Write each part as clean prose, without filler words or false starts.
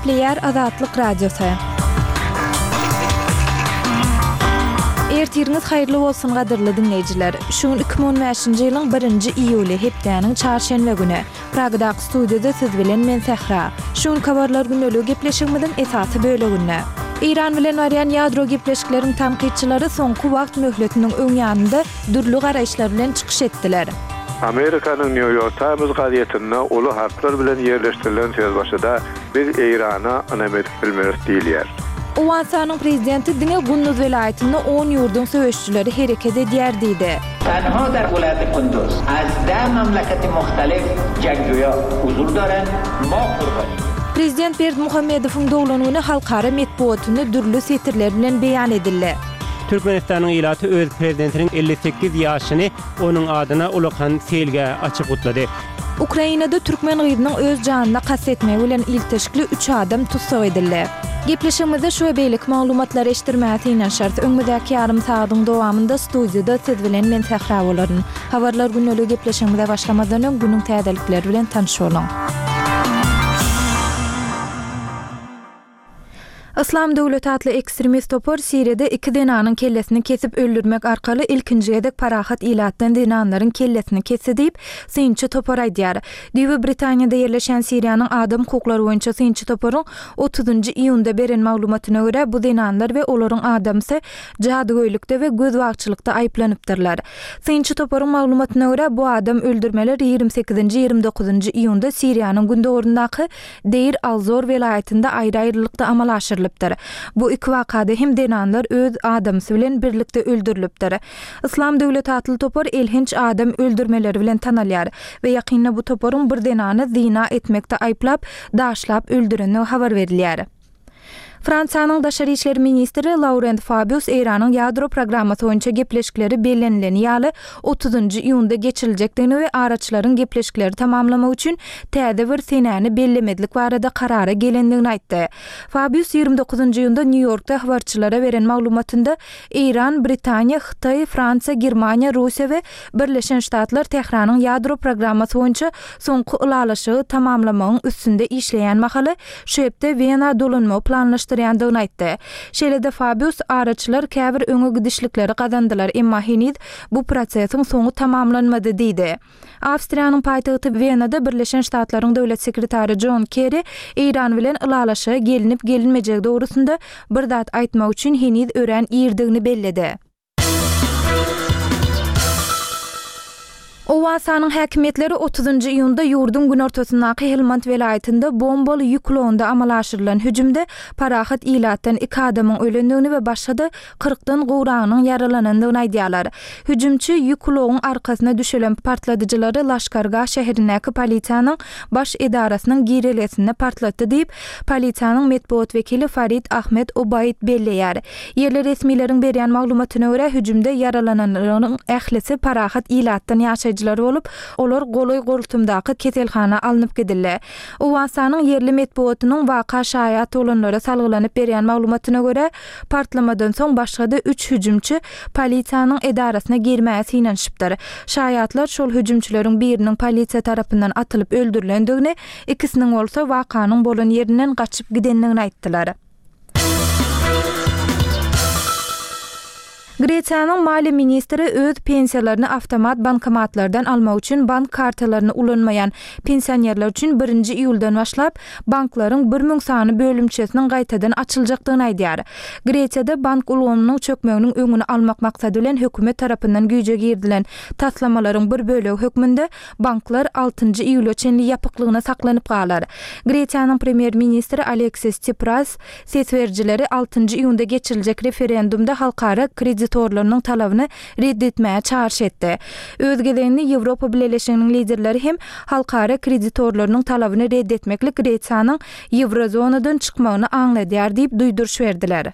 Gepleýär Azatlyk Radiosy. Ertiriňiz haýyrly bolsun gadyrly diňleýjiler. Şu gün 2015-nji ýylyň birinji iýuly, hepdäniň çarşenbe güni. Pragadaky studiýada siz bilen men Sähra. Şu günki habarlar gündeligi gepleşigimiziň esasy böleginde. Eýran bilen barýan ýadro gepleşikleriň tankytçylary soňky wagt möhletiniň öň ýanynda dürli garaýyşlar bilen çykyş etdiler. Amerikanyň New York Times gazetinde uly harplar bilen ýerleşdirilen sözbaşyda Biz Eýrana ynam edip bilmeris diýilýär. Owganystanyň prezidenti diňe Gunduz welaýatynda on ýurduň söweşijileri hereket edýär diýdi. Tenha dar welaýati Kunduz az deh mamlakati muhtalif jangjuya huzur darand, ma qurbani. Prezident Berdimuhamedowyň doglan güni halkara metbugatynda dürli setirler bilen beýan edildi. Türkmenistanyň ilaty öz prezidentiniň 58 ýaşyny onuň adyna ulakan seýilgäh açyp gutlady. Ukrainada türkmen gyzynyň öz janyna kast etmegi bilen ilteşikli üç adam tussag edildi. Gepleşigimizde şu we beýleki maglumatlary eşitdirmäge synanyşarys. Öňümizdäki ýarym sagadyň dowamynda studiýada siz bilen men Sähra bolaryn. Habarlar gündeligi gepleşigimize başlamazdan öň günüň täzelikleri bilen tanyş boluň. Yslam döwleti atly ekstremist topar Siriýada iki zenanyň kellesini kesip öldürmek arkaly ilkinji gezek parahat ilatdan zenanlaryň kellesini kesdi diýip, synçy topar aýdýar. Düýbi Britaniýada ýerleşýän Siriýanyň adam hukuklary boýunça synçy toparyň otuzynjy iýunda beren maglumatyna görä, bu zenanlar we olaryň adamsy jadygöýlikde we gözbagçylykda aýyplanypdyrlar. Synçy toparyň maglumatyna görä, bu adam öldürmeler 28-nji, 29-njy iýunda Siriýanyň gündogaryndaky Deýr al-Zor welaýatynda aýry-aýrylykda amala aşyrylypdyr. Bu iki wakada hem zenanlar öz adamsy bilen birlikde öldürilipdir. Yslam döwleti atly topar elhenç adam öldürmeleri bilen tanalýar we ýakynda bu toparyň bir zenany zyna etmekde aýyplap, daşlap öldürendigi habar berilýär. Fransiýanyň daşary işler ministri Laurent Fabius Eýranyň ýadro programmasy boýunça gepleşikleri bellenileni ýaly otuzynjy iýunda geçiriljekdigini we araçylaryň gepleşikleri tamamlamak üçin täze bir senäni bellemezlik barada karara gelendigini aýtdy. Fabius 29 iýunda Nýu-Ýorkda habarçylara beren maglumatynda Eýran, Britaniýa, Hytaý, Fransiýa, Germaniýa, Russiýa we Birleşen Ştatlar Tähranyň ýadro programmasy boýunça soňky ylalaşygy tamamlamagyň üstünde işleýän mahaly şu hepde Wena dolanmagy planlaşdyrýandygyny aýtdy. Şeýle-de Fabius, Araçylar käbir öňe gidişlikleri gazandylar, emma heniz bu prosesiň soňy tamamlanmady diýdi. Awstriýanyň paýtagty Wenada Birleşen Ştatlaryň döwlet sekretary Jon Kerri Eýran bilen ylalaşyga gelinip-gelinmejegi dogrusynda bir zat aýtmak üçin heniz örän irdigini belledi. Owganystanyň häkimiýetleri otuzynjy iýunda ýurduň günortasyndaky Helmand welaýatynda bombaly ýük ulagynda amala aşyrylan hüjümde parahat ilatdan iki adamyň ölendigini we başga-da kyrkdan gowragynyň ýaralanandygyny aýdýarlar. Hüjümçi ýük ulagyň arkasyna düşelen partladyjylary Laşkargah şäherindäki polisiýanyň baş edarasynyň girelgesinde partlatdy diýip, polisiýanyň metbugat wekili Farid Ahmed Obaid belleýär. Ýerli resmileriň berýän maglumatyna görä, hüjümde ýaralananlaryň ählisi parahat ilatdan ýaşaýjylar bolup, olar golaý-goltumdaky keselhana alnyp gidildi. Owganystanyň ýerli metbugatynyň waka şaýat bolanlara salgylanyp berýän maglumatyna görä, Partlamadan soň başga-da üç hüjümçi polisiýanyň edarasyna girmäge synanyşypdyr. Şaýatlar şol hüjümçileriň biriniň polisiýa tarapyndan atylyp öldürilendigini, ikisiniň bolsa wakanyň bolan ýerinden gaçyp gidendigini aýtdylar. Gresiýanyň maliýe ministri öz pensiýalaryny awtomat bankomatlardan almak üçin bank kartalaryny ulanmaýan pensionerler üçin birinji iýuldan başlap banklaryň 1000 sany bölümçesiniň gaýtadan açyljakdygyny aýdýar. Gresiýada bank ulgamynyň çökmeginiň öňüni almak maksady bilen hökümet tarapyndan güýje girizilen taslamalaryň bir bölegi hökmünde banklar altynjy iýula çenli ýapyklygyna saklanyp galar. Gresiýanyň premýer-ministri Aleksis Tsipras Ses berijileri altynjy iýunda geçiriljek referendumda halkara kreditorlarynyň talabyny ret etmäge çagyryş etdi. Öz gezeginde Ýewropa Bileleşiginiň liderleri hem halkara kreditorlarynyň talabyny ret etmeklik Gresiýanyň ýewrozonadan çykmagyny aňladýar diýip duýduryş berdiler.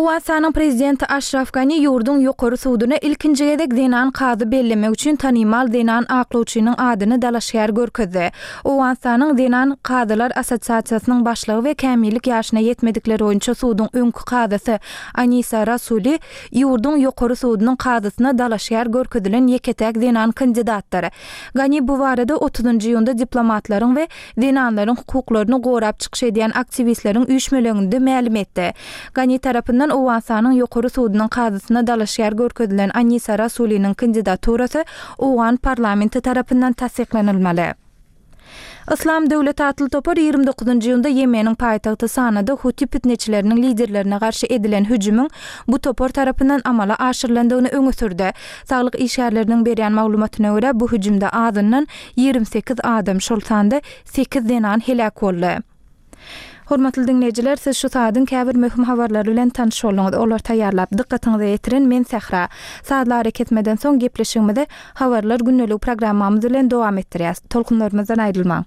Owganystanyň prezidenti Aşraf Gani ýurduň ýokary suduna ilkinji gezek zenan kazy bellemek üçin tanymal zenan aklawçynyň adyny dalaşgär görkezdi. Owganystanyň Zenan kazylar assosiasiýasynyň başlygy we kämillik ýaşyna ýetmedikler boýunça suduň öňki kazysy Anisa Rasuli ýurduň ýokary sudunyň kazysyna dalaşgär görkezilen ýeke-täk zenan kandidatdyr. Gani bu barada otuzynjy iýunda diplomatlaryň we zenanlaryň hukuklaryny gorap çykyş edýän aktiwistleriň üýşmeleňinde mälim etdi. Gani tarapyndan Owganystanyň Ýokary sudunyň kazysyna dalaşgär görkezilen Anisa Rasuliniň kandidaturasy owgan parlamenti tarapyndan tassyklanylmaly. Yslam döwleti atly topar 29 iýunda Ýemeniň paýtagty Sanada huti pitneçileriniň liderlerine garşy edilen hüjümiň bu topar tarapyndan amala aşyrylandygyny öňe sürdi. Saglyk işgärleriniň berýän maglumatyna görä, bu hüjümde azyndan 28 adam, şol sanda sekiz zenan heläk boldy. Hormatly diňleýjiler, siz şu saadyň käbir möhüm habarlary bilen tanyş bolduňyz. Olary taýýarlap, dykgatyňyza ýetiren men Sähra. Sazly arakesmeden soň gepleşigimizi Habarlar gündeligi programmamyz bilen dowam etdirýäs. Tolkunlarymyzdan aýrylmaň!